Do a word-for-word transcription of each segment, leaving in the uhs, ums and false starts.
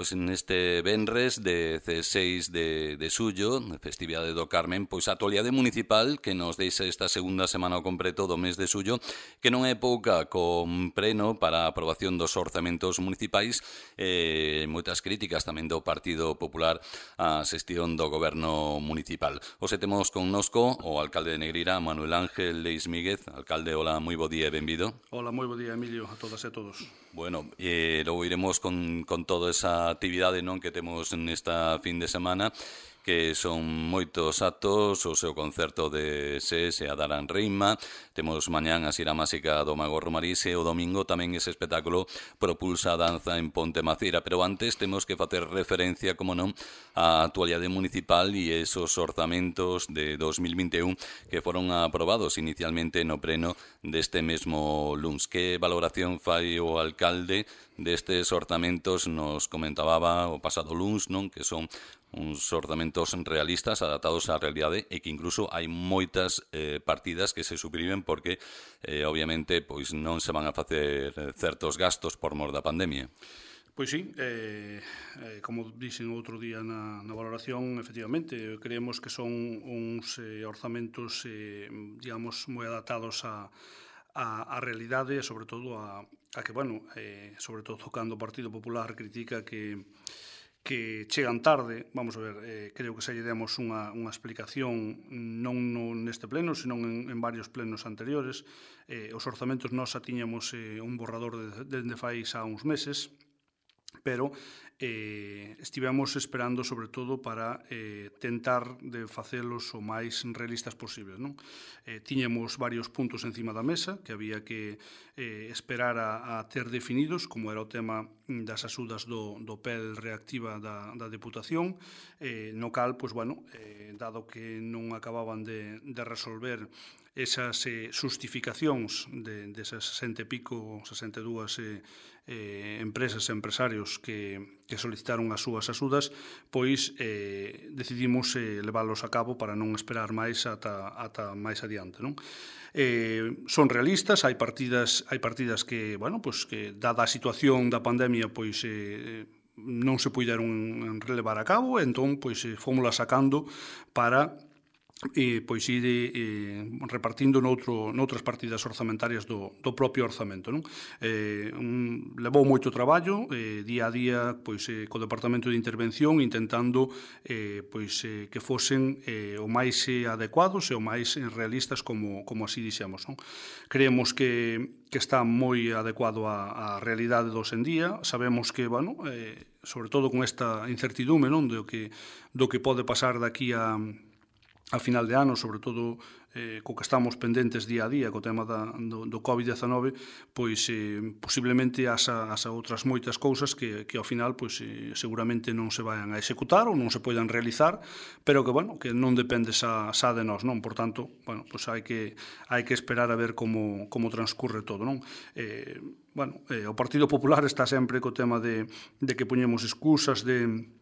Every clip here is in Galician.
pois neste venres de dezasseis de, de xullo, festividade do Carmen, pois a actualidade municipal que nos deixa esta segunda semana ao completo do mes de xullo, que non é pouca, con preno para a aprobación dos orzamentos municipais e eh, moitas críticas tamén do Partido Popular á xestión do goberno municipal. Hoxe temos connosco o alcalde de Negreira, Manuel Ángel Leis Míguez. Alcalde, hola, moi bo día e benvido. Hola, moi bo día, Emilio, a todas e a todos. Bueno, eh, logo iremos con, con toda esa actividade non que temos nesta fin de semana, que son moitos actos, o seu concerto de S E S e a Daran Reima, temos mañán a Xira Máxica do Mago Romarís e o domingo tamén ese espectáculo Propulsa a Danza en Ponte Macira, pero antes temos que facer referencia, como non, á actualidade municipal e esos orzamentos de dos mil vinte e un que foron aprobados inicialmente no pleno deste mesmo luns. Que valoración fai o alcalde destes orzamentos? Nos comentaba o pasado luns, non, que son uns orzamentos realistas adaptados á realidade e que incluso hai moitas eh, partidas que se suprimen porque eh, obviamente pois non se van a facer certos gastos por mor da pandemia. Pois sí, eh, eh, como dixen outro día na, na valoración, efectivamente, creemos que son uns eh, orzamentos, eh, digamos, moi adaptados a a, a realidade e, sobre todo, a, a que, bueno, eh, sobre todo cando o Partido Popular critica que que chegan tarde. Vamos a ver, eh, creo que se lle demos unha, unha explicación non no, neste pleno, senón en, en varios plenos anteriores. Eh, os orzamentos nós xa tiñamos eh, un borrador de, de, de fai xa uns meses, pero eh, estivemos esperando sobre todo para eh, tentar de facelos o máis realistas posibles, non? Eh, tiñamos varios puntos encima da mesa que había que eh, esperar a, a ter definidos, como era o tema das axudas do, do P E L reactiva da, da Deputación, eh, no cal, pois, bueno, eh, dado que non acababan de, de resolver esas eh, justificacións de, desas sesenta e pico, sesenta e dúas eh, eh, empresas e empresarios que, que solicitaron as súas axudas, pois eh, decidimos eh, leválos a cabo para non esperar máis ata, ata máis adiante, non? Eh, son realistas, hai partidas, hai partidas que, bueno, pois que dada a situación da pandemia, pois eh, non se puideron relevar a cabo, entón pois eh, fómola sacando para e pois ir eh, repartindo noutro, noutras partidas orzamentarias do, do propio orzamento, non? Eh, un, levou moito traballo, eh, día a día, pois, eh, co Departamento de Intervención, intentando eh, pois, eh, que fosen eh, o máis eh, adecuados e o máis eh, realistas, como, como así dixemos, non? Creemos que, que está moi adecuado á, á realidade dos en día. Sabemos que, bueno, eh, sobre todo con esta incertidume, non, do que, do que pode pasar daqui a a final de ano, sobre todo eh, co que estamos pendentes día a día co tema da, do, do covid diecinueve, pois eh, posiblemente haxa, haxa outras moitas cousas que, que ao final pois, eh, seguramente non se vayan a executar ou non se poidan realizar, pero que, bueno, que non depende xa, xa de nós, non? Por tanto, bueno, pois hai que, hai que esperar a ver como, como transcurre todo, non? Eh, bueno, eh, o Partido Popular está sempre co tema de, de que poñemos excusas de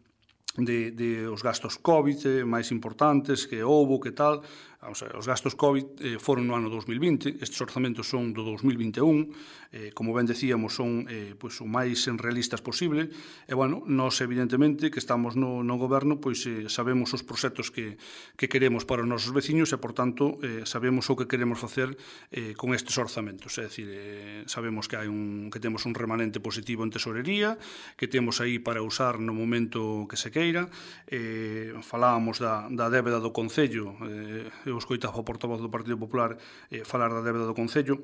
De, de os gastos COVID eh, máis importantes que houbo, que tal. O sea, os gastos COVID eh, foron no ano dos mil vinte, estes orzamentos son do dos mil vinte e un, eh, como ben decíamos, son eh, pois, o máis realistas posible, e, bueno, nós, evidentemente, que estamos no, no goberno, pois eh, sabemos os proxectos que, que queremos para os nosos veciños e, por tanto, eh, sabemos o que queremos facer eh, con estes orzamentos. É dicir, eh, sabemos que hai un, que temos un remanente positivo en tesorería, que temos aí para usar no momento que se queira. Eh, falábamos da, da débeda do Concello, eh, eu escoitaba o portavoz do Partido Popular eh, falar da débeda do Concello.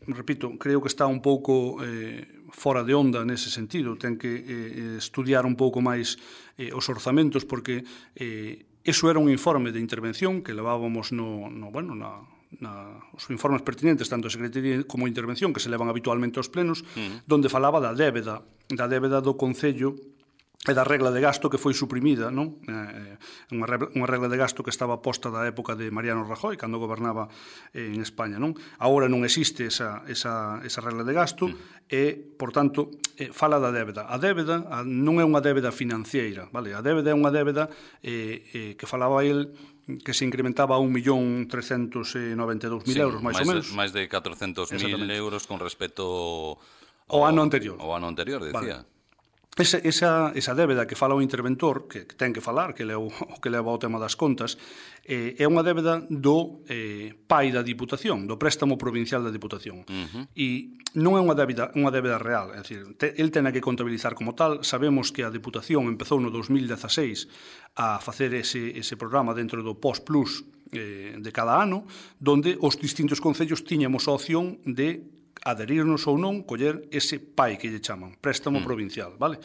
Repito, creo que está un pouco eh, fora de onda nese sentido. Ten que eh, estudiar un pouco máis eh, os orzamentos, porque eh, eso era un informe de intervención que levábamos no, no bueno, na, na, os informes pertinentes, tanto a Secretaría como a Intervención, que se levan habitualmente aos plenos, mm. donde falaba da débeda, da débeda do Concello e da regla de gasto que foi suprimida, non? Eh, unha, regla, unha regla de gasto que estaba posta da época de Mariano Rajoy, cando gobernaba eh, en España, non? Agora non existe esa, esa, esa regla de gasto mm. e, por tanto, eh, fala da débeda. A débeda a, non é unha débeda financiera, vale? A débeda é unha débeda eh, eh, que falaba el que se incrementaba a un millón trescentos e noventa e dous mil euros, máis ou menos. Máis de catrocentos mil euros con respecto ao ano anterior. Ao ano anterior, decía. Vale. Esa, esa, esa débeda que fala o interventor, que, que ten que falar, que é o, o que leva ao tema das contas, eh, é unha débeda do eh, pai da Diputación, do préstamo provincial da Diputación. Uh-huh. E non é unha débeda, unha débeda real, é dicir, te, el ten que contabilizar como tal. Sabemos que a Diputación empezou no dos mil dezaseis a facer ese, ese programa dentro do P O S Plus eh, de cada ano, donde os distintos concellos tiñamos a opción de adherirnos ou non, coller ese P A I que lle chaman, préstamo mm. provincial, vale?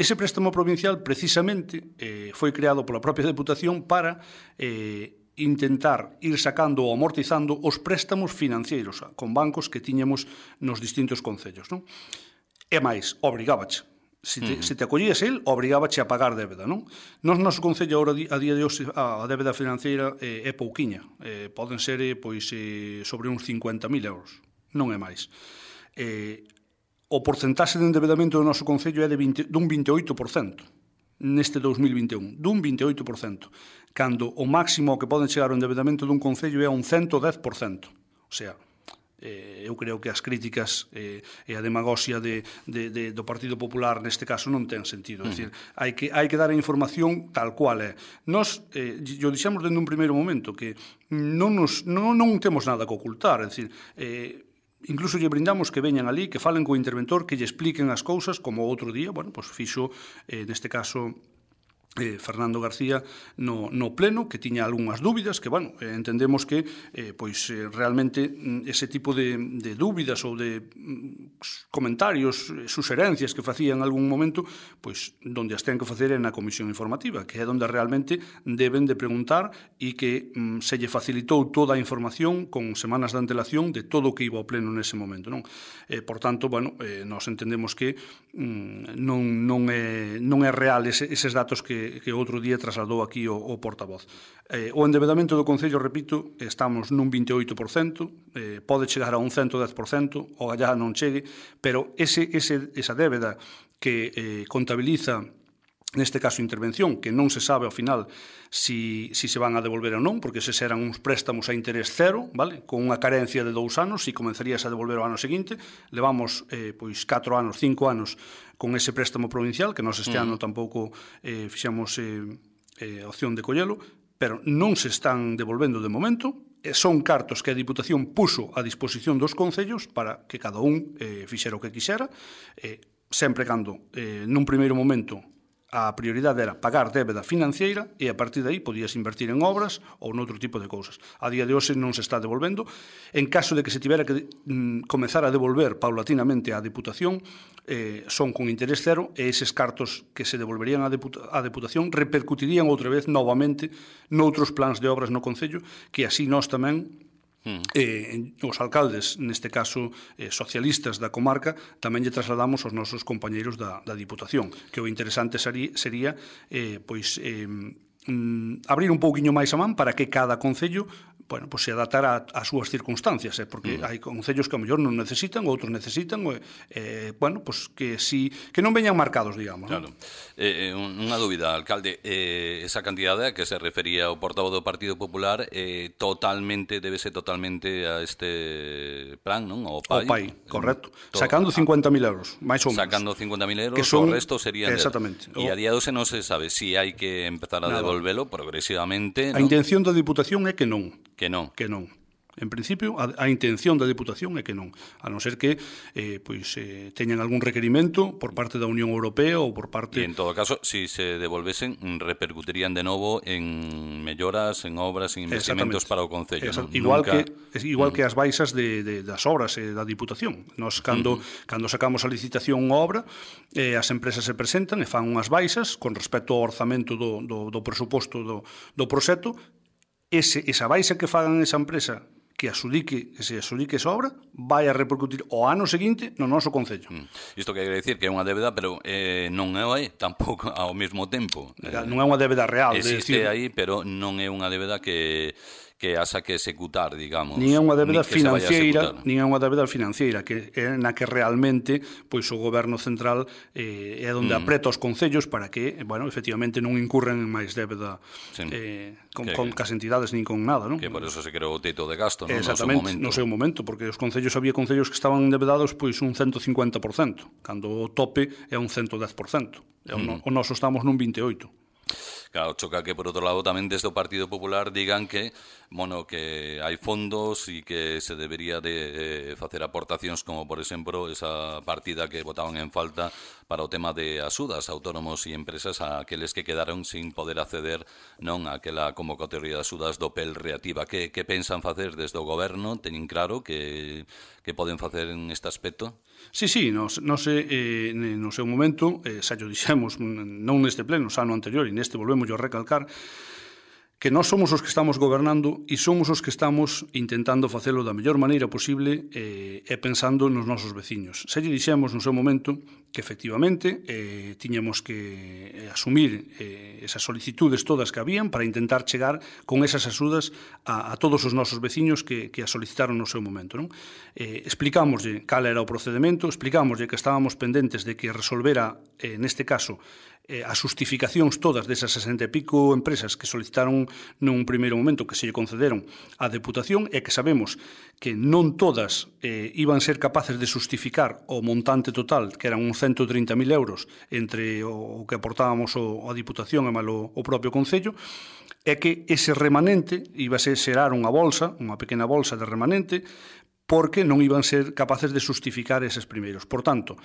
Ese préstamo provincial precisamente eh, foi creado pola propia Deputación para eh, intentar ir sacando ou amortizando os préstamos financeiros con bancos que tiñamos nos distintos concellos, non? E máis, obrigábache. Se te, mm. se te acollías el, obrigábache a pagar débeda, non? Nos noso concello agora a día de hoxe a débeda financeira eh, é pouquiña, eh, poden ser eh, pois eh, sobre uns cincuenta mil euros. Non é máis. Eh, o porcentaxe de endebedamento do noso concello é de vinte, dun vinte e oito por cento neste dos mil vinte e un, dun vinte e oito por cento, cando o máximo que poden chegar o endebedamento dun concello é un ciento dez por cento. O sea, eh, eu creo que as críticas eh, e a demagoxia de, de, de, do Partido Popular neste caso non ten sentido. É dicir, hai que, hai que dar a información tal cual é. Nos, eh, yo dixemos dende un primeiro momento que non, nos, non, non temos nada que ocultar, é dicir, eh, incluso lle brindamos que veñan ali, que falen co interventor, que lle expliquen as cousas, como outro día, bueno, pois fixo, eh, neste caso, eh, Fernando García no, no pleno, que tiña algunhas dúbidas, que, bueno, eh, entendemos que eh, pois eh, realmente ese tipo de, de dúbidas ou de mm, comentarios, suxerencias que facía en algún momento, pois donde as ten que facer é na comisión informativa, que é onde realmente deben de preguntar e que mm, se lle facilitou toda a información con semanas de antelación de todo o que iba ao pleno nese momento, non? Eh, por tanto, bueno, eh, nós entendemos que mm, non, non, é, non é real ese, eses datos que que outro día trasladou aquí o, o portavoz. Eh, o endebedamento do Concello, repito, estamos nun vinte e oito por cento, eh, pode chegar a un ciento dez por cento, o allá non chegue, pero ese, ese, esa débeda que eh, contabiliza neste caso intervención, que non se sabe ao final si, si se van a devolver ou non, porque se eran uns préstamos a interés cero, vale? Con unha carencia de dous anos, e comenzarías a devolver o ano seguinte. Levamos eh, pois catro anos, cinco anos con ese préstamo provincial, que nós este mm. ano tampouco eh, fixemos eh, eh, opción de collelo, pero non se están devolvendo de momento. Eh, son cartos que a Diputación puso a disposición dos concellos para que cada un eh, fixera o que quixera, eh, sempre cando, eh, nun primeiro momento, a prioridade era pagar débeda financeira e a partir de aí podías invertir en obras ou noutro tipo de cousas. A día de hoxe non se está devolvendo. En caso de que se tivera que mm, comezar a devolver paulatinamente á Deputación, eh, son con interés cero, e eses cartos que se devolverían á Deputa- á Deputación repercutirían outra vez novamente noutros plans de obras no Concello, que así nós tamén Mm. Eh, os alcaldes, neste caso eh, socialistas da comarca, tamén lle trasladamos aos nosos compañeiros da, da Diputación, que o interesante sería, sería eh, pois, eh, mm, abrir un pouquiño máis a man para que cada concello, bueno, pues se adaptara ás súas circunstancias, eh, porque mm. hai concellos que a mellor non necesitan, outros necesitan, eh, bueno, pues que si que non veñan marcados, digamos. Claro. ¿No? Eh, unha dúbida, alcalde, eh, esa cantidade a que se refería o portavoz do Partido Popular eh, totalmente, debe ser totalmente a este plan, non? O P A I. O P A I, correcto. Todo. Sacando cincuenta mil euros, máis ou menos. Sacando cincuenta mil euros, que son, o resto serían... Exactamente. E a día doce non se sabe si hai que empezar a Nada. devolvelo progresivamente, A ¿no? intención da Diputación é que non. Que non. Que non. En principio, a, a intención da Deputación é que non, a non ser que eh, pois, eh, teñan algún requerimento por parte da Unión Europea ou por parte... E en todo caso, si se devolvesen, repercutirían de novo en melloras, en obras, en investimentos para o Concello. ¿no? Igual, Nunca... que, igual mm. que as baixas de, de, das obras eh, da Diputación. Nos, cando, mm. cando sacamos a licitación unha obra, eh, as empresas se presentan e fan unhas baixas con respecto ao orzamento do, do, do presuposto do, do proxecto. Ese, esa baixa que fagan esa empresa que asudique, que se asudique esa obra, vai a repercutir o ano seguinte no noso Concello. Mm. Isto quere decir que é unha débeda, pero eh, non é tampouco ao mesmo tempo. Non é unha débeda real. Existe de decir... aí, pero non é unha débeda que que haxa que executar, digamos. Nin é unha débeda nin financiera, nin é unha débeda financiera, que é na que realmente pois o goberno central eh, é onde mm. apreta os concellos para que, bueno, efectivamente non incurren en máis débeda sí. eh, con, que, con cas entidades nin con nada, non? Que por eso se creou o teito de gasto, non? Exactamente, no seu momento, porque os concellos había concellos que estaban endebedados pois un ciento cincuenta por cento, cando o tope é un ciento dez por cento. E o, mm. o noso estamos nun vinte e oito por cento. Claro, choca que, por outro lado, tamén desde o Partido Popular digan que, bueno, que hai fondos e que se debería de eh, facer aportacións como, por exemplo, esa partida que votaban en falta para o tema de axudas a autónomos e empresas a aqueles que quedaron sin poder acceder non a aquela convocatoria de axudas do P E L reactiva. Que, que pensan facer desde o goberno? Teñen claro que, que poden facer en este aspecto? Sí, sí, nos, nos, eh, no seu momento, eh, xa yo dixemos, non neste pleno, xa no anterior, e neste volvemos a recalcar, que nós somos os que estamos gobernando e somos os que estamos intentando facelo da mellor maneira posible eh, e pensando nos nosos veciños. Xa lle dixemos no seu momento que efectivamente eh, tiñamos que asumir eh, esas solicitudes todas que habían para intentar chegar con esas axudas a, a todos os nosos veciños que, que a solicitaron no seu momento. Non? Eh, explicámoslle cal era o procedimento, explicámoslle que estábamos pendentes de que resolvera, eh, neste caso, eh, as justificacións todas desas sesenta e pico empresas que solicitaron nun primeiro momento que se lle concederon á Deputación e que sabemos que non todas eh, iban ser capaces de justificar o montante total, que eran uns ciento trinta mil euros entre o, o que aportábamos o, a Diputación e malo o propio Concello, é que ese remanente iba a ser xerar unha bolsa, unha pequena bolsa de remanente, porque non iban ser capaces de justificar eses primeiros. Por tanto,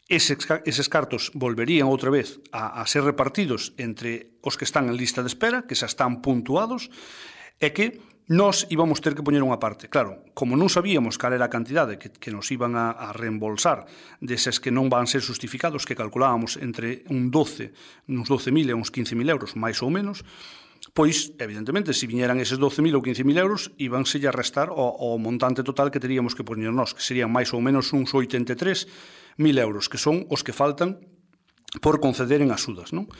Eses, eses cartos volverían outra vez a, a ser repartidos entre os que están en lista de espera, que xa están puntuados, e que nós íbamos ter que poñer unha parte. Claro, como non sabíamos cal era a cantidade que, que nos iban a, a reembolsar deses que non van ser justificados, que calculábamos entre un doce, uns doce mil e uns quince mil euros, máis ou menos, pois, evidentemente, se viñeran eses doce mil ou quince mil euros, íbanse a restar o, o montante total que teríamos que poñer nós, que serían máis ou menos uns oitenta e tres mil euros, que son os que faltan por conceder en axudas. Non?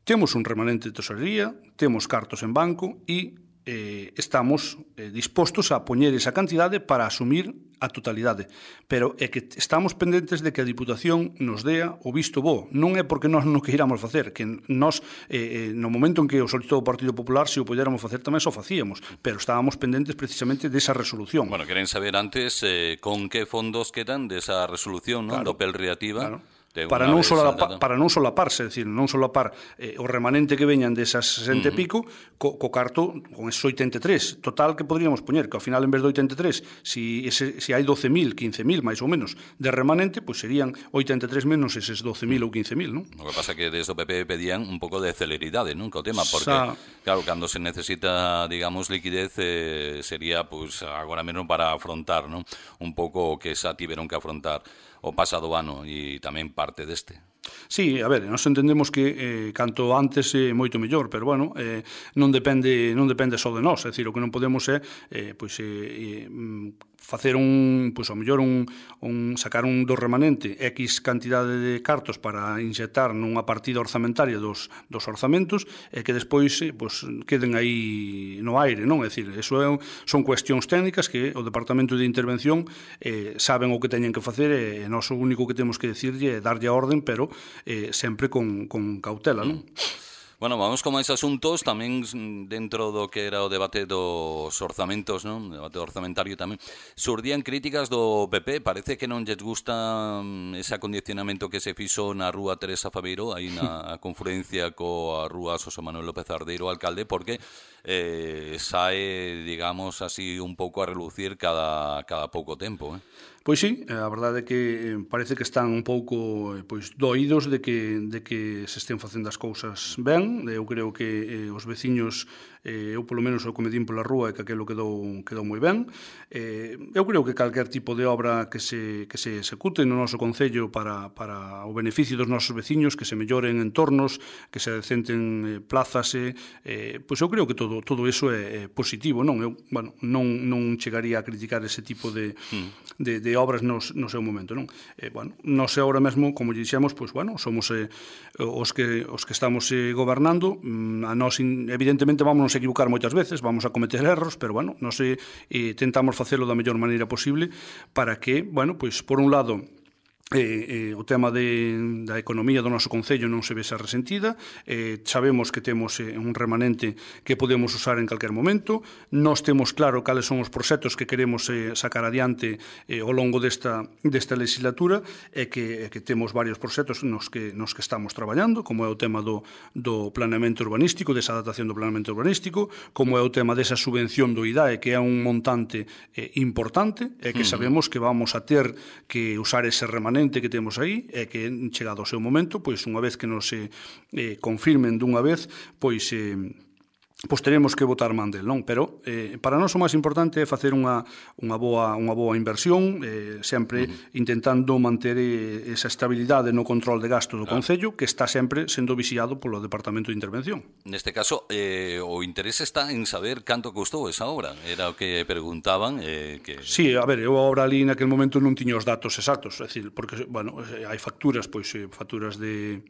Temos un remanente de tesorería, temos cartos en banco e eh, estamos eh, dispostos a poñer esa cantidade para asumir a totalidade. Pero é que estamos pendentes de que a Diputación nos dea o visto bo. Non é porque nós non queiramos facer, que nós, eh, no momento en que o solicitou o Partido Popular, se o podéramos facer tamén só facíamos, pero estábamos pendentes precisamente desa resolución. Bueno, queren saber antes eh, con que fondos quedan desa resolución, non? Claro, do P E L reactiva. Claro. Para non, solapa, para non solaparse, é dicir, non solapar eh, o remanente que veñan desas sesenta e pico co, co carto con esos oitenta e tres total que podríamos poñer, que ao final en vez de oitenta e tres, si, ese, si hai doce mil, quince mil máis ou menos de remanente, pois serían oitenta e tres menos eses doce mil ou quince mil, non? O que pasa é que desde o P P pedían un pouco de celeridade, non? Co tema, porque, Sa... claro, cando se necesita, digamos, liquidez, eh, sería, pois, agora mesmo para afrontar, non? Un pouco o que xa tiveron que afrontar o pasado ano e tamén parte deste. Sí, a ver, nós entendemos que eh, canto antes é eh, moito mellor, pero bueno, eh, non depende non depende só de nós, é dicir, o que non podemos é eh, pois, eh, eh, facer un, pois ao mellor un, un sacar un do remanente X cantidade de cartos para inxectar nunha partida orzamentaria dos, dos orzamentos e que despois eh, pois, queden aí no aire, non? É dicir, eso é, son cuestións técnicas que o Departamento de Intervención eh, saben o que teñen que facer e nós o único que temos que decirlle é darlle a orden, pero eh, sempre con, con cautela, non? Bueno, vamos con máis asuntos, tamén dentro do que era o debate dos orzamentos, non? O debate orzamentario tamén. Surdían críticas do P P, parece que non lles gusta ese acondicionamento que se fixo na rúa Teresa Fabeiro, aí na confluencia coa rúa Xosé Manuel López Ardeiro, alcalde, porque eh, sae, digamos, así un pouco a relucir cada, cada pouco tempo, eh? Pois sí, a verdade é que parece que están un pouco pois doídos de que de que se estén facendo as cousas ben. Eu creo que eh, os veciños, eh, eu polo menos o que me din pola rúa, é que aquilo quedou quedou moi ben. Eh, eu creo que calquer tipo de obra que se que se execute no noso concello para para o beneficio dos nosos veciños, que se melloren entornos, que se decenten eh, plazas, eh, pois eu creo que todo todo eso é, é positivo, non? Eu, bueno, non non chegaría a criticar ese tipo de mm. de, de de obras no, no seu momento, non? Eh, bueno, nós agora mesmo, como dixemos, pois, bueno, somos eh, os, que, os que estamos eh, gobernando, a nós, evidentemente, vamos nos equivocar moitas veces, vamos a cometer erros, pero, bueno, nós eh, tentamos facelo da mellor maneira posible para que, bueno, pois, por un lado, Eh, eh, o tema de, da economía do noso concello non se vese resentida, eh, sabemos que temos eh, un remanente que podemos usar en calquer momento, nós temos claro cales son os proxectos que queremos eh, sacar adiante eh, ao longo desta, desta legislatura e que, eh, que temos varios proxectos nos que, nos que estamos traballando, como é o tema do, do planeamento urbanístico, desa adaptación do planeamento urbanístico, como é o tema desa subvención do I D A E, que é un montante eh, importante e que sabemos que vamos a ter que usar ese remanente que temos aí é que chegado o seu momento, pois unha vez que nos eh, eh, confirmen dunha vez, pois eh, pois teremos que votar man del, non? Pero eh, para nós o máis importante é facer unha, unha, boa, unha boa inversión, eh, sempre uh-huh. intentando manter eh, esa estabilidade no control de gasto do claro. Concello, que está sempre sendo vixiado polo Departamento de Intervención. Neste caso, eh, o interés está en saber canto custou esa obra, era o que preguntaban. Eh, que... Sí, a ver, eu a obra ali naquel momento non tiña os datos exactos, é dicir, porque, bueno, hai facturas, pois, facturas de...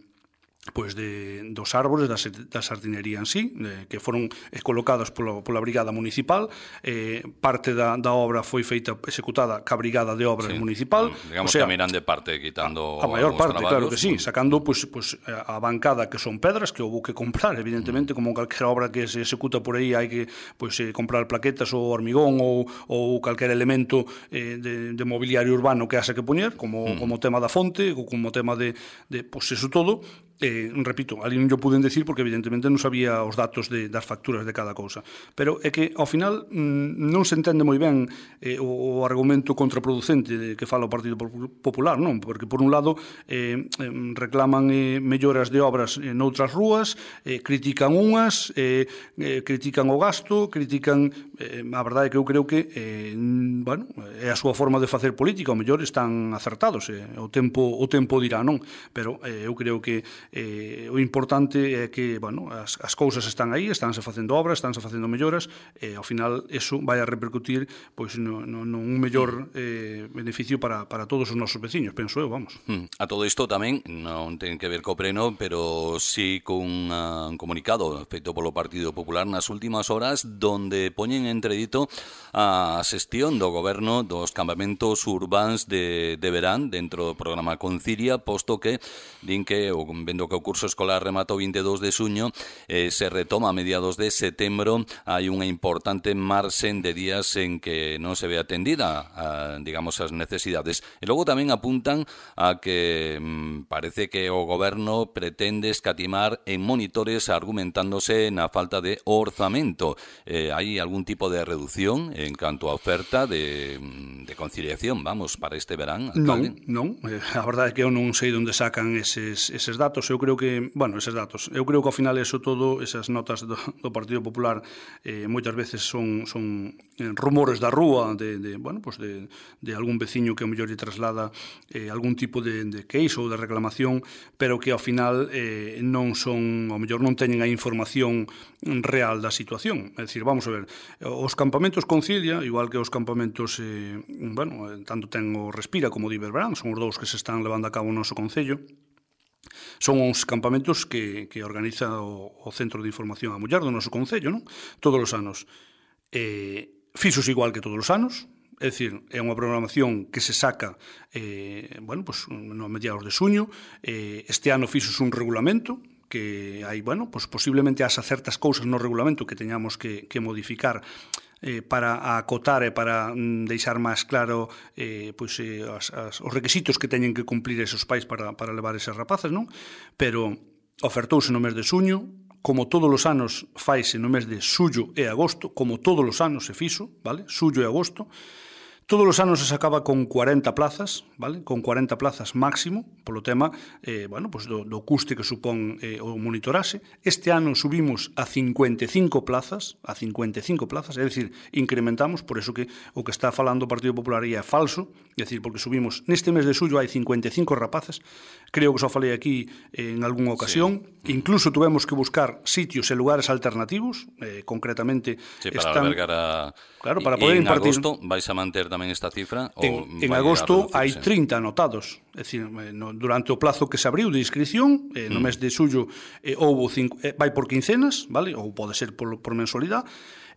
pois de, dos árbores da, da sardinería en sí, eh, que foron eh, colocados polo, pola Brigada Municipal, eh, parte da, da obra foi feita, executada ca Brigada de Obras sí, Municipal. Digamos o sea, que miran de parte, quitando a, a maior parte, traballos, claro que sí, sacando pois, pois, a bancada que son pedras, que houve que comprar, evidentemente, mm. como calquera obra que se executa por aí, hai que pois, eh, comprar plaquetas ou hormigón ou, ou calquer elemento eh, de, de mobiliario urbano que haxa que poñer, como, mm. como tema da fonte, ou como tema de, de pois, eso todo. Eh, repito, ali non yo puden decir porque evidentemente non sabía os datos de, das facturas de cada cousa, pero é que ao final mmm, non se entende moi ben eh, o, o argumento contraproducente de que fala o Partido Popular, non? Porque por un lado eh, reclaman eh, melloras de obras eh, noutras rúas, eh, critican unhas, eh, eh, critican o gasto, critican eh, a verdade é que eu creo que eh, bueno, é a súa forma de facer política, ao mellor están acertados, eh, o tempo o tempo dirá, non? Pero eh, eu creo que Eh, o importante é que, bueno, as, as cousas están aí, estánse facendo obras, estánse facendo melloras, e ao final eso vai a repercutir pois no, no, no un mellor eh, beneficio para, para todos os nosos veciños, penso eu, vamos. A todo isto tamén non ten que ver co Pleno, pero sí con uh, un comunicado feito polo Partido Popular nas últimas horas, donde poñen entredito a xestión do goberno dos campamentos urbáns de, de verán dentro do programa Concilia, posto que din que o vendo que o curso escolar remata o veintidós de xuño, eh, se retoma a mediados de setembro, hai unha importante marxen de días en que non se ve atendida, a, digamos, as necesidades. E logo tamén apuntan a que mm, parece que o goberno pretende escatimar en monitores argumentándose na falta de orzamento. Eh, hai algún tipo de reducción en canto a oferta de, de conciliación, vamos, para este verán, alcalde? Non, non. Eh, a verdade é que eu non sei onde sacan eses, eses datos. Eu creo que, bueno, eses datos, eu creo que ao final eso todo, esas notas do, do Partido Popular eh, moitas veces son, son eh, rumores da rúa de, de, bueno, pues de, de algún veciño que ao mellor lle traslada eh, algún tipo de, de queixo ou de reclamación, pero que ao final eh, non son, ao mellor non teñen a información real da situación. É dicir, vamos a ver, os campamentos Concilia, igual que os campamentos eh, bueno, tanto ten o Respira como o Iberverán, son os dous que se están levando a cabo no noso concello. Son uns campamentos que, que organiza o, o Centro de Información a Muller do noso concello, non? Todos os anos. Eh, fixos igual que todos os anos, é dicir, é unha programación que se saca eh, bueno, pues, no mediados de xuño. Eh, este ano fixos un regulamento que hai, bueno, pues posiblemente haxa certas cousas no regulamento que teñamos que, que modificar eh, para acotar e para mm, deixar máis claro eh, pois, eh, as, as, os requisitos que teñen que cumplir esos pais para, para levar esas rapaces, non? Pero ofertouse no mes de xuño, como todos os anos faise no mes de xullo e agosto, como todos os anos se fixo, vale? Xullo e agosto. Todos os anos se sacaba con cuarenta plazas, vale? Con cuarenta plazas máximo, polo tema eh, bueno, pues do, do custe que supón eh, o monitorase. Este ano subimos a cincuenta e cinco plazas, a cincuenta e cinco plazas, é dicir, incrementamos, por eso que o que está falando o Partido Popular é falso, é dicir, porque subimos, neste mes de xullo hai cincuenta e cinco rapaces, creo que só falei aquí en algunha ocasión, sí. Incluso tuvemos que buscar sitios e lugares alternativos, eh, concretamente... Sí, para están, albergar a... Claro, para poder en impartir... agosto vais a manter tamén esta cifra? En, en agosto hai trinta anotados. É dicir, no, durante o plazo que se abriu de inscripción, eh, no mm. mes de xullo eh, houve cinco, eh, vai por quincenas, vale? Ou pode ser por, por mensualidade.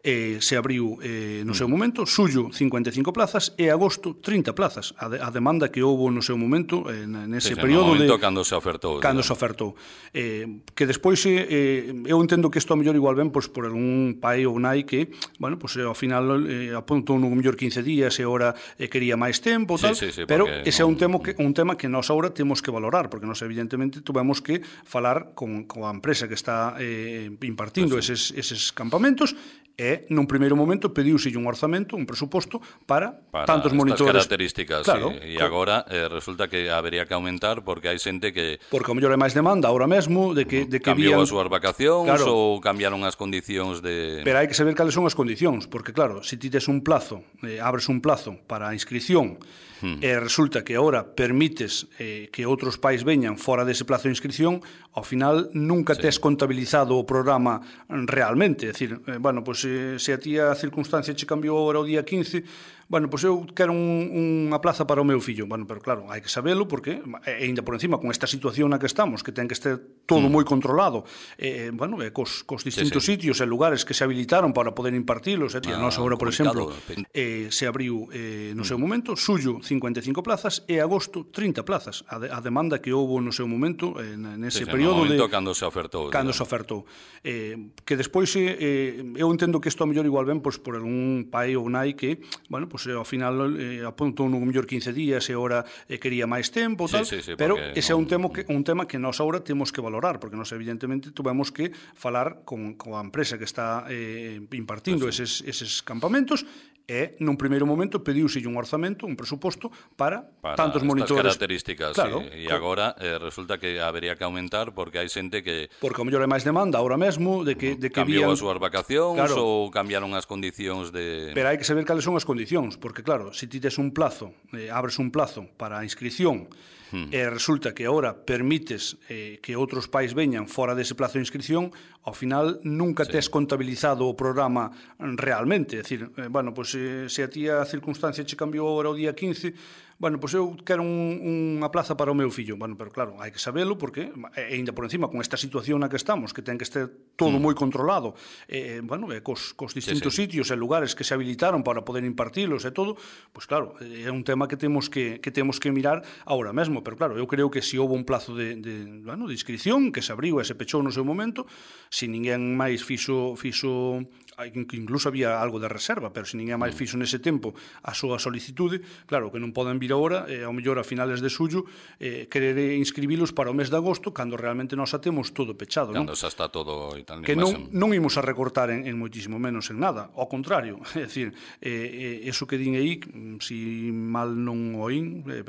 Eh, se abriu eh, no seu momento, xullo cincuenta e cinco plazas e agosto trinta plazas. A, de, a demanda que houve no seu momento eh, nese sí, período no momento de cando se ofertou. Cando se ofertou. Eh, que despois eh, eu entendo que isto a mellor igual ben pois, por algún pai ou nai que, bueno, pois ao final eh, apuntou no mellor quince días e ora eh, quería máis tempo, tal, sí, sí, sí, pero ese non... é un tema que un tema que nós agora temos que valorar, porque nós evidentemente tuvemos que falar con, con a empresa que está eh, impartindo pues, sí. eses, eses campamentos e nun primeiro momento pediuse un orzamento, un presuposto para, para tantos monitores. Para estas características, claro, sí. E agora eh, resulta que habería que aumentar porque hai xente que... Porque ao mellor é máis demanda agora mesmo de que, de que cambiou vían... as súas vacacións claro. ou cambiaron as condicións de... Pero hai que saber cales son as condicións, porque claro, se ti tes un plazo, eh, abres un plazo para a inscripción hmm. e resulta que agora permites eh, que outros pais veñan fora dese plazo de inscripción, ao final nunca sí. tes contabilizado o programa realmente, é dicir, eh, bueno, pois se, se a ti a circunstancia che cambiou agora o día quince, bueno, pois eu quero un, unha plaza para o meu fillo. Bueno, pero claro, hai que sabelo porque, e ainda por encima, con esta situación na que estamos, que ten que estar todo mm. moi controlado, eh, bueno, eh, cos, cos distintos sí, sí. sitios e lugares que se habilitaron para poder impartilos, eh, ah, nós agora, por exemplo, eh, se abriu eh, no mm. seu momento, xullo cincuenta e cinco plazas e agosto trinta plazas. A, de, a demanda que houve no seu momento, eh, nese sí, período de... de... cando se ofertou. Cando se ofertou. Eh, que despois, eh, eu entendo que isto a mellor igual ben pois, por algún pai ou nai que, bueno, pois ao final eh, apuntou no mellor quince días e ora eh, quería máis tempo, tal, sí, sí, sí, pero ese é un tema que un tema que nós agora temos que valorar, porque nós evidentemente tuvemos que falar con, con a empresa que está eh, impartindo pues, sí. eses, eses campamentos e nun primeiro momento pediuse un orzamento, un presuposto para, para tantos monitores. Para estas características, claro, sí. E agora eh, resulta que habería que aumentar porque hai xente que... Porque ao mellor é máis demanda agora mesmo de que, de que cambiou vían... as súas vacacións claro. ou cambiaron as condicións de... Pero hai que saber cales son as condicións, porque claro, se ti tes un plazo, eh, abres un plazo para a inscripción hmm. e resulta que agora permites eh, que outros pais veñan fora dese plazo de inscripción, ao final nunca sí. tes contabilizado o programa realmente. É dicir, eh, bueno, pois, eh, se a ti a circunstancia che cambiou agora o día quince, bueno, pois eu quero un, unha plaza para o meu fillo. Bueno, pero claro, hai que sabelo porque, e ainda por encima, con esta situación na que estamos, que ten que estar todo mm. moi controlado, eh, bueno, e cos, cos distintos sí, sí. sitios e lugares que se habilitaron para poder impartilos e todo, pois claro, é un tema que temos que, que temos que mirar agora mesmo. Pero claro, eu creo que se houve un plazo de, de, bueno, de inscripción que se abriu e se pechou no seu momento, se ninguén máis fixo, fixo incluso había algo de reserva, pero se ninguén máis fixo nese tempo a súa solicitude, claro, que non poden vir agora, eh, ao mellor a finales de xullo, eh, querer inscribilos para o mes de agosto, cando realmente nós a temos todo pechado, non? Cando xa está todo e tal. Que non, non imos a recortar en, en moitísimo menos en nada, ao contrario, é dicir, eh, eh, eso que din aí, si mal non oín, eh,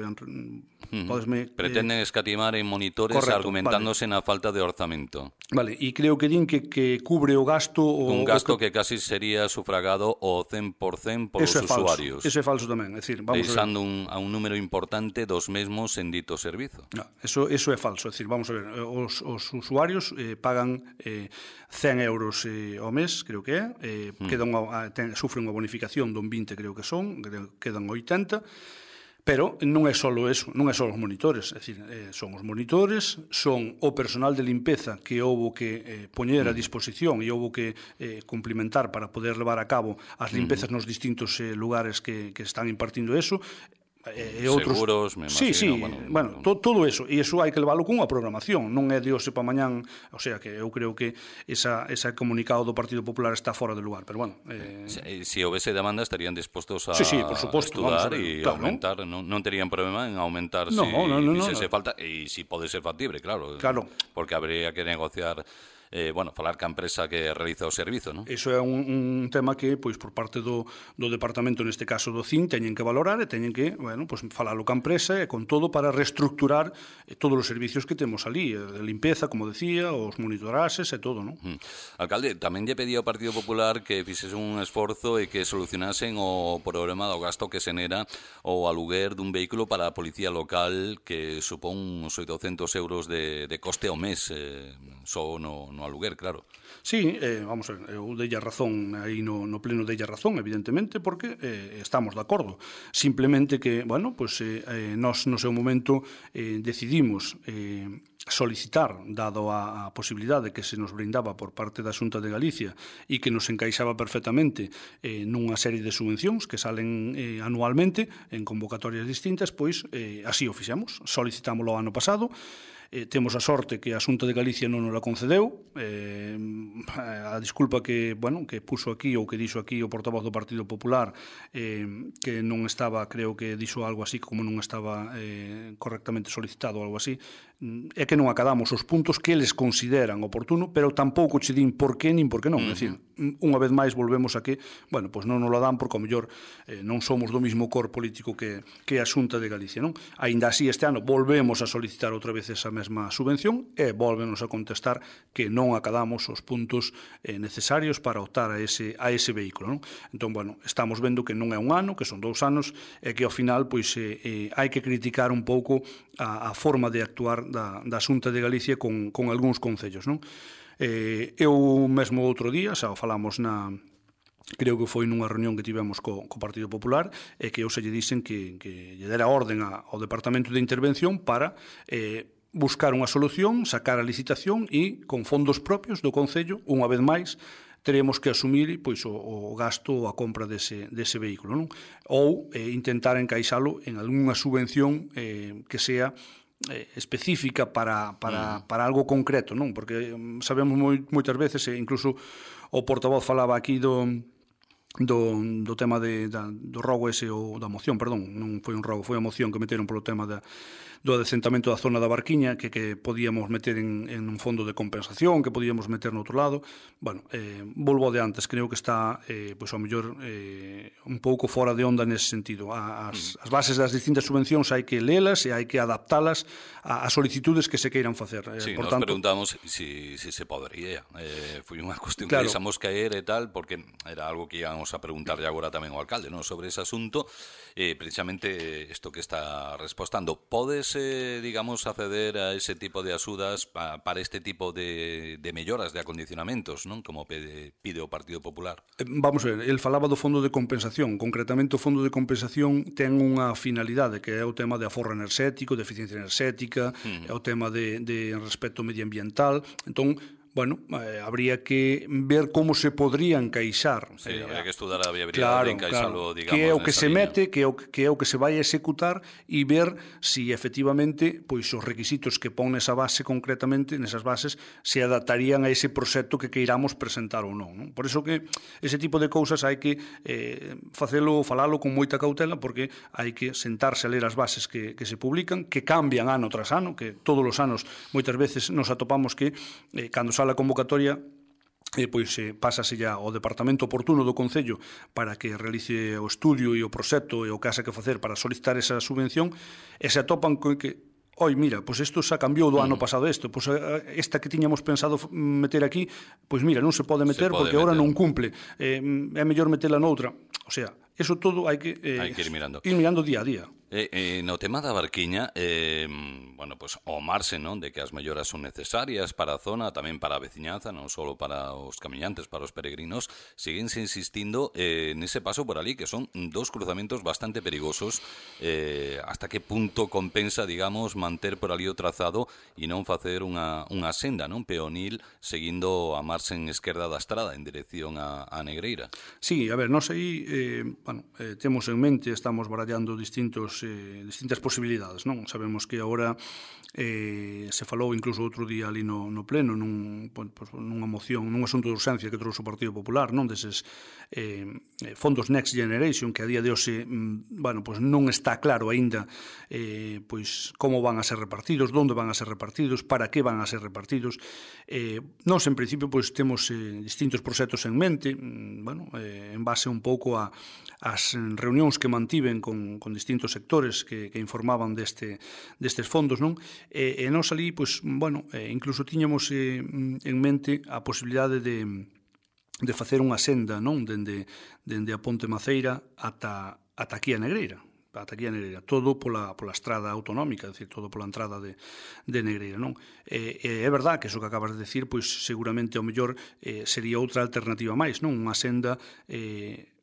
Uh-huh. Podesme, pretenden eh, escatimar en monitores correcto, argumentándose vale. na falta de orzamento. Vale, e creo que din que, que cubre o gasto... O, un gasto o que... que casi sería sufragado o cen por cen por eso os é usuarios. Eso é falso tamén, é dicir, vamos deixando a, un, a un número importante dos mesmos en dito servizo. No, eso, eso é falso, é dicir, vamos a ver, os, os usuarios eh, pagan eh, cen euros eh, ao mes, creo que é, eh, hmm. quedan a, ten, sufren unha bonificación dun vinte, creo que son, quedan oitenta. Pero non é só eso, non é só os monitores, é dicir, eh, son os monitores, son o personal de limpeza que houbo que eh, poñer a disposición e houbo que eh, cumplimentar para poder levar a cabo as limpezas nos distintos eh, lugares que, que están impartindo eso, e outros seguros, me imagino, sí, sí, bueno, bueno to, todo eso, e iso hai que leválo cunha programación, non é de hoxe para mañán, o sea que eu creo que esa ese comunicado do Partido Popular está fora de lugar, pero bueno, eh... se, si houvese demanda estarían dispostos a, sí, sí, por suposto, estudar e claro, aumentar, non, non terían problema en aumentar no, si no, no, fixese no, no. falta e si pode ser factible, claro, claro, porque habría que negociar Eh, bueno, falar ca empresa que realiza o servizo, non? Iso é un, un tema que, pois, por parte do, do departamento, neste caso do C I N, teñen que valorar e teñen que, bueno, pois, falalo ca empresa e con todo para reestructurar eh, todos os servicios que temos ali, de limpeza, como decía, os monitorases e todo, non? Mm. Alcalde, tamén lle pedía ao Partido Popular que fixese un esforzo e que solucionasen o problema do gasto que se nera o aluguer dun vehículo para a policía local que supón uns oitocentos euros de, de coste ao mes, eh, só no no aluguer, claro. Sí, eh, vamos a ver, eu dei a razón, aí no, no pleno dei a razón, evidentemente, porque eh, estamos de acordo. Simplemente que, bueno, pues eh, eh, nós no seu momento eh, decidimos eh, solicitar, dado a, a posibilidade que se nos brindaba por parte da Xunta de Galicia e que nos encaixaba perfectamente eh, nunha serie de subvencións que salen eh, anualmente en convocatorias distintas, pois eh, así o fixemos, solicitámoslo ano pasado. Eh, temos a sorte que a Xunta de Galicia non nos la concedeu, eh, a disculpa que, bueno, que puso aquí ou que dixo aquí o portavoz do Partido Popular, eh, que non estaba, creo que dixo algo así como non estaba eh, correctamente solicitado ou algo así, é que non acadamos os puntos que eles consideran oportuno, pero tampouco che din por qué nin por que non. Uh -huh. É dicir, unha vez máis volvemos a que, bueno, pois non nos la dan porque ao mellor eh, non somos do mismo cor político que, que a Xunta de Galicia, non? Aínda así este ano volvemos a solicitar outra vez esa mesma subvención e volvenos a contestar que non acadamos os puntos eh, necesarios para optar a ese, a ese vehículo, non? Entón, bueno, estamos vendo que non é un ano, que son dous anos e que ao final pois eh, eh, hai que criticar un pouco a, a forma de actuar da, da Xunta de Galicia con, con algúns concellos, non? Eh, eu mesmo outro día, xa falamos na... creo que foi nunha reunión que tivemos co, co Partido Popular e que eu se lle dixen que, que lle dera orden a, ao Departamento de Intervención para eh, buscar unha solución, sacar a licitación e con fondos propios do Concello, unha vez máis, teremos que asumir pois, o, o gasto ou a compra dese, dese vehículo, non? Ou eh, intentar encaixalo en algunha subvención eh, que sea eh, específica para, para, para algo concreto, non? Porque sabemos moi, moitas veces, e incluso o portavoz falaba aquí do... Do, do tema de, da, do rogo ese ou da moción, perdón, non foi un rogo, foi a moción que meteron polo tema da, do adecentamento da zona da Barquiña, que, que podíamos meter en, en un fondo de compensación, que podíamos meter no outro lado. Bueno, eh, volvo de antes, creo que está eh, pois ao mellor eh, un pouco fora de onda nese sentido. As, as bases das distintas subvencións hai que lelas e hai que adaptalas ás solicitudes que se queiran facer. Sí, eh, por nos tanto, preguntamos si, si se podría. Eh, foi unha cuestión claro, que deixamos caer e tal, porque era algo que íamos a preguntarle agora tamén ao alcalde, ¿no?, sobre ese asunto. Eh, precisamente isto que está respostando, podes, eh, digamos, acceder a ese tipo de axudas pa, para este tipo de, de melloras de acondicionamentos, non, como pide, pide o Partido Popular? Vamos a ver, el falaba do fondo de compensación. Concretamente, o fondo de compensación ten unha finalidade, que é o tema de aforro enerxético, de eficiencia enerxética, uh-huh. é o tema de, de respecto medioambiental. Entón, bueno, eh, habría que ver como se podría encaixar. Sí, eh, habría que estudar a viabilidade claro, de encaixalo, claro, digamos, que é o que se liña. mete, que é o que é o que se vai a executar e ver si efectivamente pois os requisitos que pon nesa base concretamente, nesas bases, se adaptarían a ese proxecto que queiramos presentar ou non, non? Por iso que ese tipo de cousas hai que eh, facelo, falalo con moita cautela, porque hai que sentarse a ler as bases que, que se publican, que cambian ano tras ano, que todos os anos moitas veces nos atopamos que eh, cando sale a convocatoria eh, pois eh, pásase ya ao departamento oportuno do Concello para que realice o estudio e o proxecto e o que haxa que facer para solicitar esa subvención e se atopan con que oi, mira, pois isto xa cambiou do ano pasado isto, pois esta que tiñamos pensado meter aquí, pois mira, non se pode meter se pode porque meter. Agora non cumple, eh, é mellor metela noutra. O sea, eso todo hai que, eh, hai que ir mirando. ir mirando día a día. Eh, eh, no tema da Barquiña, eh, bueno, pues o marxe, non, de que as melloras son necesarias para a zona, tamén para a veciñanza, non só para os camiñantes, para os peregrinos, seguense insistindo eh, nese paso por ali, que son dos cruzamentos bastante perigosos. Eh, hasta que punto compensa, digamos, manter por ali o trazado e non facer unha, unha senda, non, peonil, seguindo a marxen esquerda da estrada en dirección a, a Negreira? Sí, a ver, nós aí, eh, bueno, eh, temos en mente, estamos barallando distintos Eh, distintas posibilidades, non? Sabemos que agora eh, se falou incluso outro día ali no, no pleno nun, pues, nunha moción, nun asunto de urxencia que trouxe o Partido Popular, non, deses eh, fondos Next Generation, que a día de hoxe mm, bueno, pues non está claro aínda eh, pois como van a ser repartidos, onde van a ser repartidos, para que van a ser repartidos. Eh, nós en principio pois temos eh, distintos proxectos en mente, mm, bueno, eh, en base un pouco a as reunións que mantiven con, con distintos sectores que, que informaban deste, destes fondos, non? E, e nós ali, pois, bueno, eh, incluso tiñamos eh, en mente a posibilidade de, de facer unha senda, non? Dende, dende a Ponte Maceira ata, ata aquí a Negreira. ata aquí a Negreira, todo pola, pola estrada autonómica, é dicir, todo pola entrada de, de Negreira, non? E, e é verdad que iso que acabas de decir, pois seguramente ao mellor eh, sería outra alternativa máis, non? Unha senda eh,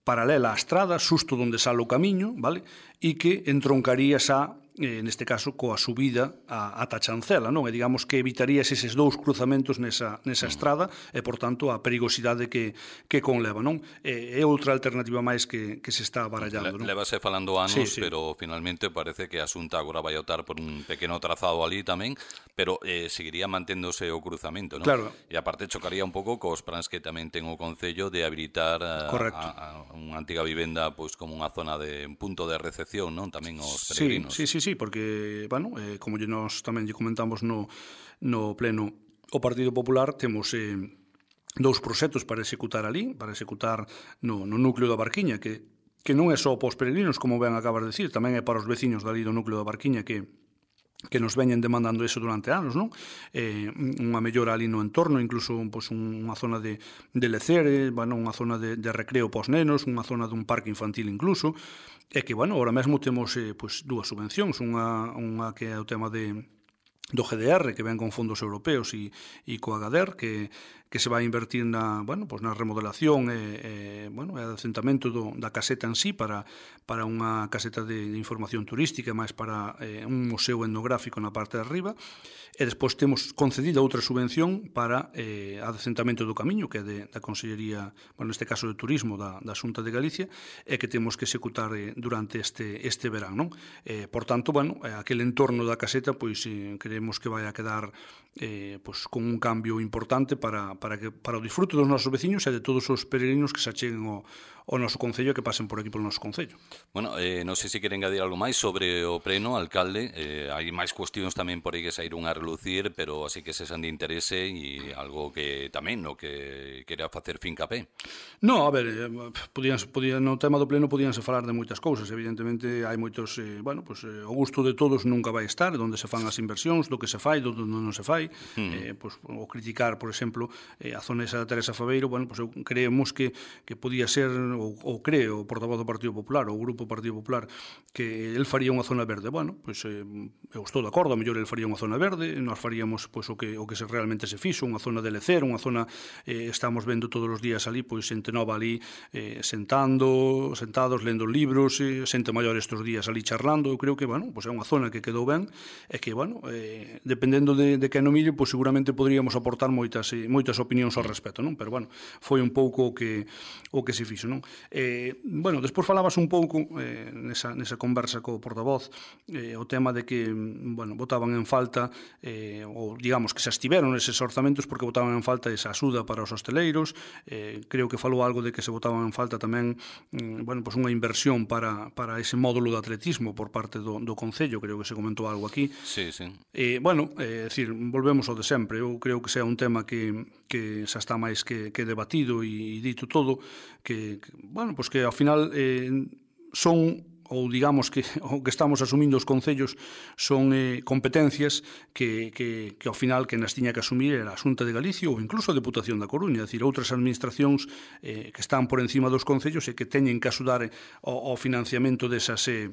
paralela á estrada, xusto onde sale o camiño, vale? E que entroncaría xa, eh, neste caso, coa subida a, ata Chancela, non? E digamos que evitarías eses dous cruzamentos nesa, nesa estrada e, por tanto, a perigosidade que, que conleva, non? É, é outra alternativa máis que, que se está barallando, non? Levase falando anos, sí, sí. pero finalmente parece que a Xunta agora vai optar por un pequeno trazado ali tamén, pero eh, seguiría manténdose o cruzamento, non? Claro. E aparte chocaría un pouco cos plans que tamén ten o Concello de habilitar a, a, a unha antiga vivenda pois como unha zona de un punto de recepción, non? Tamén os peregrinos. Sí, sí, sí, sí, porque, bueno, eh, como nos tamén lle comentamos no, no pleno o Partido Popular, temos eh, dous proxectos para executar ali, para executar no, no núcleo da Barquiña, que, que non é só para os peregrinos, como ben acabas de decir, tamén é para os veciños dali do núcleo da Barquiña que que nos veñen demandando eso durante anos, non? Eh, unha mellora ali no entorno, incluso pois, unha zona de, de lecer, eh, bueno, unha zona de, de recreo pos nenos, unha zona dun parque infantil incluso, e que, bueno, ahora mesmo temos eh, pois, dúas subvencións, unha, unha que é o tema de do G D R, que ven con fondos europeos e, e co Agader, que, que se vai invertir na, bueno, pues na remodelación e, e, bueno, e adecentamento do, da caseta en sí para, para unha caseta de, de información turística, máis para eh, un museo etnográfico na parte de arriba, e despois temos concedida outra subvención para eh, adecentamento do camiño, que é de, da Consellería, bueno, neste caso de Turismo da, da Xunta de Galicia, e que temos que executar eh, durante este, este verán, non? Eh, por tanto, bueno, aquel entorno da caseta, pois, eh, queremos que vai a quedar eh, pois, con un cambio importante para, para, que, para o disfrute dos nosos veciños e de todos os peregrinos que se acheguen ao, ao noso Concello e que pasen por aquí polo noso Concello. Bueno, eh, non sei se queren engadir algo máis sobre o pleno, alcalde. Eh, hai máis cuestións tamén por aí que saíron a relucir, pero así que se san de interese e algo que tamén no que quería facer fincapé. No, a ver, eh, podían, podían, no tema do pleno podíanse falar de moitas cousas. Evidentemente hai moitos, eh, bueno, pues, eh, o gusto de todos nunca vai estar, onde se fan as inversións, do que se fai, do que non se fai. Mm. Eh, pues, o criticar, por exemplo, eh, a zona esa de Teresa Faveiro, bueno, pues, creemos que, que podía ser, ou, ou creo, o portavoz do Partido Popular, ou o Grupo Partido Popular, que el faría unha zona verde. Bueno, pues, eh, eu estou de acordo, a mellor el faría unha zona verde, nós faríamos pues, o que, o que se realmente se fixo, unha zona de lecer, unha zona, eh, estamos vendo todos os días ali, pois, xente nova ali, eh, sentando, sentados, lendo libros, eh, xente maior estes días ali charlando. Eu creo que, bueno, pues, é unha zona que quedou ben, e que, bueno, eh, dependendo de, de que no mire, pois, seguramente poderíamos aportar moitas, eh, moitas opinións ao respecto, non? Pero, bueno, foi un pouco o que, o que se fixo, non? Eh, bueno, despois falabas un pouco eh, nesa, nesa conversa co portavoz eh, o tema de que, bueno, botaban en falta eh, ou digamos que se estiveron eses orzamentos porque botaban en falta esa axuda para os hosteleiros. Eh, creo que falou algo de que se botaban en falta tamén mm, bueno, pues unha inversión para, para ese módulo de atletismo por parte do, do Concello, creo que se comentou algo aquí. Sí, sí. Eh, bueno, é eh, dicir, volvemos ao de sempre. Eu creo que sea un tema que, que xa está máis que, que debatido e, e dito todo, que, que bueno, pues que ao final eh, son, ou digamos que o que estamos asumindo os concellos son eh, competencias que, que, que ao final que nas tiña que asumir era a Xunta de Galicia ou incluso a Deputación da Coruña, é dicir, outras administracións eh, que están por encima dos concellos e que teñen que axudar ao, ao financiamento desas eh,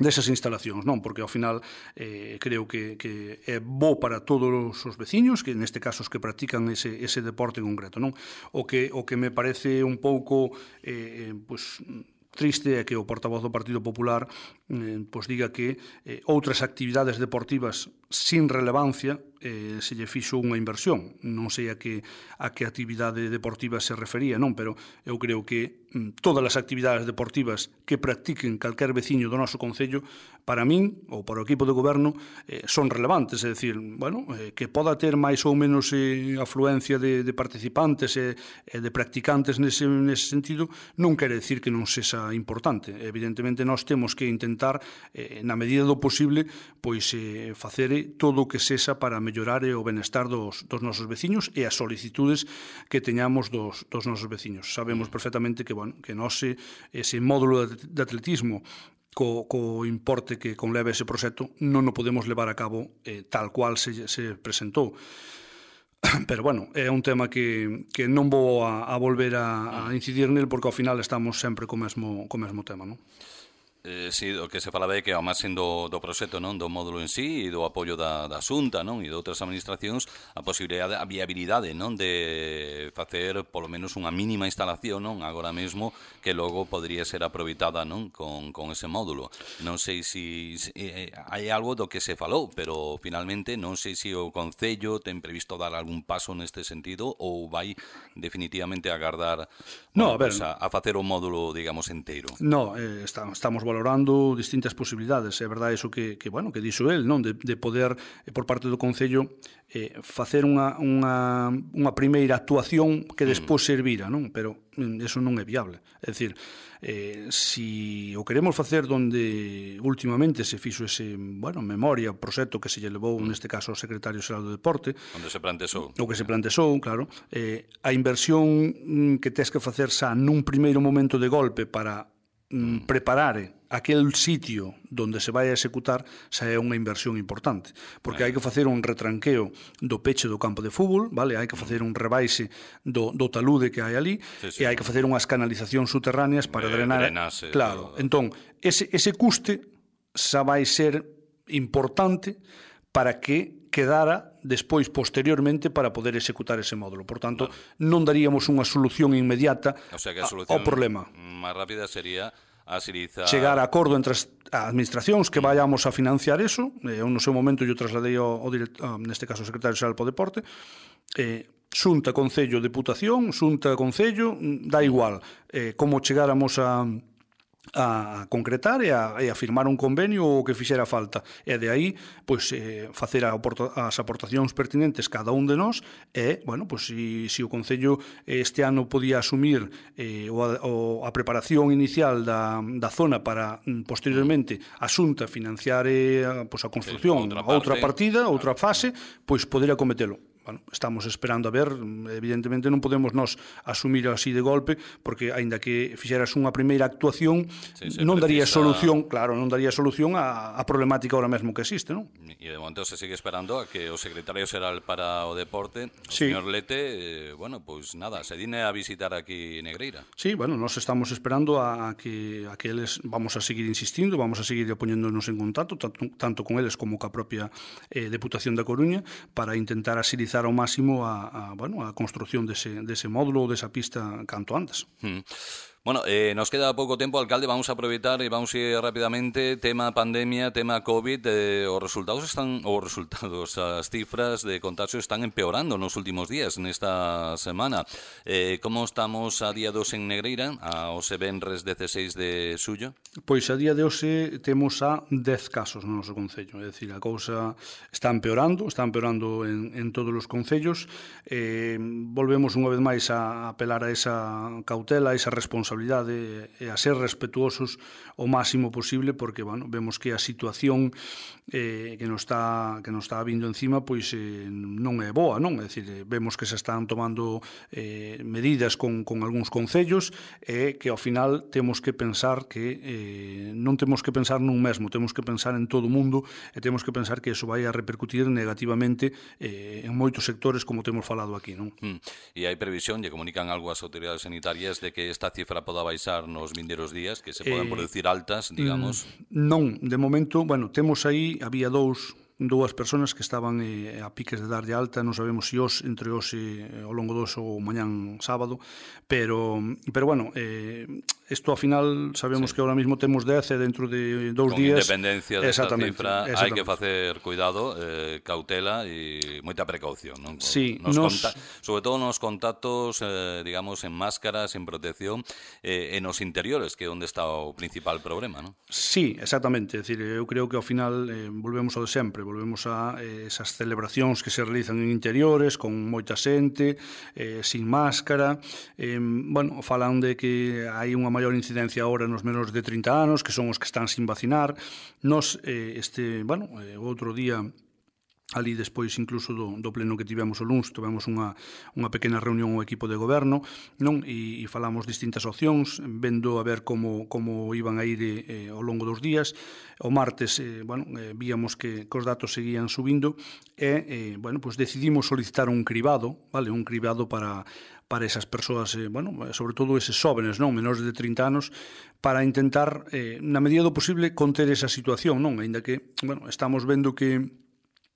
desas instalacións, non? Porque ao final eh, creo que, que é bo para todos os veciños, que neste caso os que practican ese, ese deporte en concreto, non? O que, o que me parece un pouco eh, pues, triste é que o portavoz do Partido Popular eh, pues diga que eh, outras actividades deportivas sin relevancia eh, se lle fixo unha inversión. Non sei a que, a que actividade deportiva se refería, non, pero eu creo que mm, todas as actividades deportivas que practiquen calquer veciño do noso Concello, para min, ou para o equipo de goberno, eh, son relevantes, é dicir, bueno, eh, que poda ter máis ou menos eh, afluencia de, de participantes e eh, de practicantes nese, nese sentido, non quere decir que non sexa importante. Evidentemente, nós temos que intentar, eh, na medida do posible, pois eh, facer todo o que sexa para mellorar o benestar dos, dos nosos veciños e as solicitudes que teñamos dos, dos nosos veciños. Sabemos perfectamente que, bueno, que nós ese módulo de atletismo co, co importe que conleva ese proxecto non o podemos levar a cabo eh, tal cual se, se presentou. Pero, bueno, é un tema que, que non vou a, a volver a, a incidir nel porque ao final estamos sempre co mesmo, co mesmo tema, non? Eh, si, o que se falaba é que ao máis do, do proxecto, non, do módulo en sí e do apoio da, da Xunta, non, e de outras administracións, a posibilidade, a viabilidade, non, de facer polo menos unha mínima instalación, non, agora mesmo, que logo podría ser aproveitada, non, con, con ese módulo. Non sei se si, eh, hai algo do que se falou, pero finalmente non sei se o Concello ten previsto dar algún paso neste sentido ou vai definitivamente agardar no, bueno, a, ver, pues a, a facer o módulo, digamos, inteiro. No, eh, está, estamos valorando distintas posibilidades. É verdade iso que, que, bueno, que dixo el, non, de, de poder, eh, por parte do Concello, eh, facer unha, unha, unha primeira actuación que despois servira, non? Pero mm, eso non é viable. É dicir, eh, si o queremos facer donde últimamente se fixo ese, bueno, memoria, proxecto que se lle levou, mm. neste caso, ao secretario xeral do Deporte, onde se plantexou. O que se plantexou, claro, eh, a inversión que tes que facer xa nun primeiro momento de golpe para mm, preparar aquel sitio donde se vai a executar xa é unha inversión importante, porque hai que facer un retranqueo do peche do campo de fútbol, vale? Hai que facer un rebaixe do, do talude que hai ali, sí, sí. E hai que facer unhas canalizacións subterráneas para de, drenar. Drenase, claro, todo. Entón, ese, ese custe xa vai ser importante para que quedara despois, posteriormente, para poder executar ese módulo. Por tanto, claro, non daríamos unha solución inmediata, o sea, que a solución ao problema. máis rápida sería agilizar... chegar a acordo entre as administracións que vayamos a financiar eso. Eu no seu momento yo trasladei ao, ao direct, ah, neste caso, o secretario xeral do Deporte, eh, Xunta, Concello, Deputación, Xunta, Concello, da igual, eh, como chegáramos a a concretar e a, e a firmar un convenio o que fixera falta. E de aí, pois, eh, facer a, as aportacións pertinentes cada un de nós e, bueno, pois, si, si o Concello este ano podía asumir eh, o, o, a preparación inicial da, da zona para, posteriormente, a Xunta financiar eh, pois, a construcción, outra, outra partida, outra fase, pois poder acometelo. Bueno, estamos esperando a ver, evidentemente non podemos nos asumir así de golpe, porque aínda que fixeras unha primeira actuación, sí, non daría precisa... solución, claro, non daría solución á, á problemática ahora mesmo que existe, non? E de momento se sigue esperando a que o secretario xeral para o deporte, o sí. señor Lete, eh, bueno, pois pues nada, se dine a visitar aquí Negreira. Sí, bueno, nós estamos esperando a que a que eles vamos a seguir insistindo, vamos a seguir poñéndonos en contacto, tanto, tanto con eles como ca propia eh, Deputación da Coruña, para intentar asilizar ao máximo a, a, bueno, a construción dese, dese módulo ou desa pista canto antes. Mm. Bueno, eh, nos queda pouco tempo, alcalde, vamos a aproveitar e vamos a ir rapidamente, tema pandemia, tema COVID, eh, os resultados están, os resultados, as cifras de contagio están empeorando nos últimos días, nesta semana. Eh, como estamos a día dos en Negreira, a hoxe venres dezasseis de xullo? Pois a día de hoxe temos a dez casos no noso concello, é dicir, a cousa está empeorando, está empeorando en, en todos os concellos. Eh, volvemos unha vez máis a apelar a esa cautela, a esa responsabilidade e a ser respetuosos o máximo posible, porque, bueno, vemos que a situación eh, que nos está que nos está vindo encima, pois eh, non é boa, non? É dicir, vemos que se están tomando eh, medidas con, con algúns concellos e que ao final temos que pensar que eh, non temos que pensar nun mesmo, temos que pensar en todo o mundo e temos que pensar que iso vai a repercutir negativamente eh, en moitos sectores, como temos falado aquí, non? Mm. E hai previsión, lle comunican algo ás autoridades sanitarias de que esta cifra poda baixar nos vindeiros días, que se poden eh, producir altas, digamos? Non, de momento, bueno, temos aí, había dous dúas persoas que estaban eh, a piques de dar de alta, non sabemos se os entre os eh, ao longo dos ou mañán sábado, pero pero bueno, eh, isto ao final sabemos sí. que ahora mismo temos dez e dentro de dous Con días... Con independencia desta cifra hai que facer cuidado, eh, cautela e moita precaución, non? Sí, nos nos... conta... sobre todo nos contactos, eh, digamos, en máscaras, en protección, eh, en os interiores, que é onde está o principal problema, non? Sí, exactamente, é dicir, eu creo que ao final eh, volvemos ao de sempre, volvemos a eh, esas celebracións que se realizan en interiores con moita xente, eh, sin máscara, eh, bueno, falan de que hai unha maior incidencia agora nos menores de trinta anos, que son os que están sin vacinar. Nos, eh, este, bueno, eh, outro día ali despois incluso do, do pleno que tivemos o luns, tivemos unha, unha pequena reunión ao equipo de goberno, non? E, e falamos distintas opcións, vendo a ver como, como iban a ir eh, ao longo dos días. O martes, eh, bueno, eh, víamos que, que os datos seguían subindo e, eh, bueno, pues decidimos solicitar un cribado, vale, un cribado para para esas persoas, eh, bueno, sobre todo eses xóvenes, non, menores de trinta anos, para intentar, eh, na medida do posible, conter esa situación, non? Aínda que, bueno, estamos vendo que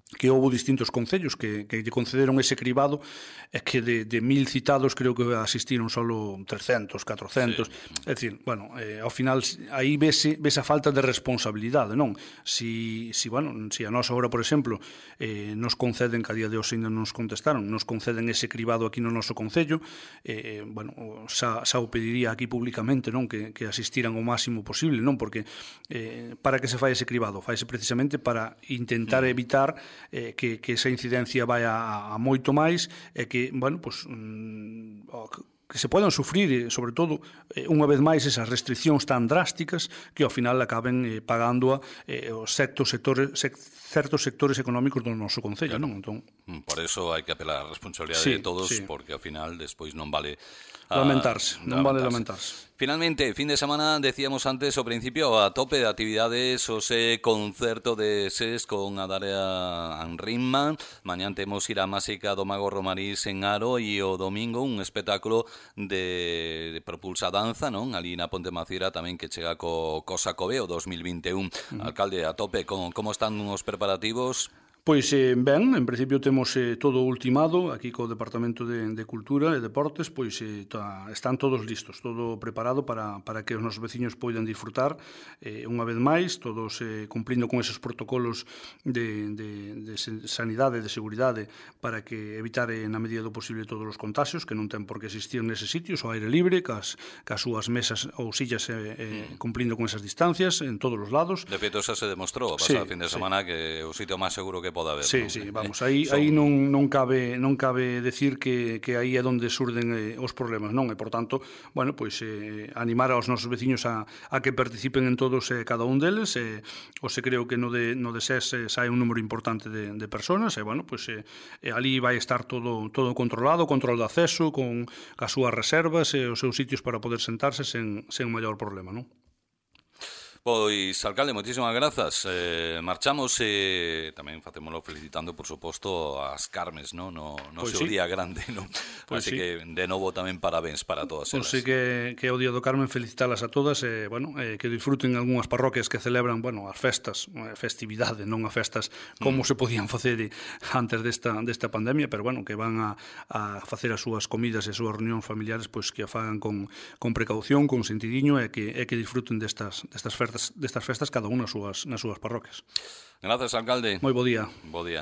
que houve distintos concellos que, que lle concederon ese cribado e que de, de mil citados creo que asistiron solo trescentos, catrocentos, sí. É dicir, bueno, eh, ao final aí vese, vese a falta de responsabilidade, non? Si, si, bueno, si a nós agora, por exemplo, eh, nos conceden, que a día de hoxe ainda nos contestaron, nos conceden ese cribado aquí no noso concello, eh, bueno, xa, xa o pediría aquí públicamente, non? Que, que asistiran o máximo posible, non? Porque eh, para que se fai ese cribado? Faise precisamente para intentar evitar Eh, que, que esa incidencia vai a, a moito máis e que, bueno, pues, mm, que se podan sufrir, sobre todo, eh, unha vez máis esas restriccións tan drásticas que ao final acaben eh, pagando a eh, os certos sectores, sec, certos sectores económicos do noso concello, claro. Non? Entón, por eso hai que apelar a responsabilidade sí, de todos, sí. Porque ao final despois non vale a, lamentarse, non vale lamentarse. Finalmente, fin de semana, decíamos antes ao principio, a tope de actividades, o ese concerto de S E S con a Daria Anrinma. Mañán temos ir a Másica do Mago Romarís en Aro e o domingo un espectáculo de, de propulsa danza, non? Ali na Ponte Macira tamén que chega co, co Sacobeo dos mil vinte e un. Uh-huh. Alcalde, a tope, con, como están os preparativos? Pois eh, ben, en principio temos eh, todo ultimado aquí co Departamento de, de Cultura e Deportes, pois eh, ta, están todos listos, todo preparado para, para que os nosos veciños poidan disfrutar eh, unha vez máis, todos eh, cumplindo con esos protocolos de, de, de sanidade, de seguridade, para que evitar eh, na medida do posible todos os contagios, que non ten por que existir neses sitios, ao aire libre, cas, cas súas mesas ou sillas eh, eh, cumplindo con esas distancias en todos os lados. De feito, xa se demostrou a pasada sí, fin de semana sí. Que o sitio máis seguro que pode haber. Sí, ¿no? sí, vamos, aí, Son... aí non, non cabe non cabe decir que, que aí é onde surden eh, os problemas, non? E, por tanto, bueno, pois eh, animar aos nosos veciños a, a que participen en todos e eh, cada un deles, e eh, o se creo que no de, no de S E S eh, sai un número importante de, de personas, e, bueno, pois eh, eh, ali vai estar todo todo controlado, control de acceso, con as súas reservas e os seus sitios para poder sentarse sen, sen maior problema, non? Pois, alcalde, moitísimas grazas. Eh, marchamos e tamén facémolo felicitando, por suposto, as Carmes, no, no, no pois seu sí. día grande, no? Pois Así sí. que, de novo, tamén parabéns para todas elas. Pois sí que, que é o día do Carmen, felicitalas a todas e, bueno, eh, que disfruten algunhas parroquias que celebran, bueno, as festas, eh, festividade, non as festas como mm. se podían facer antes desta, desta pandemia, pero, bueno, que van a, a facer as súas comidas e as súas reunións familiares, pois que a fagan con, con precaución, con sentidiño e que, e que disfruten destas, destas festas, destas festas cada unha nas súas, nas súas parroquias. Grazas, alcalde. Moi bo día. Bo día.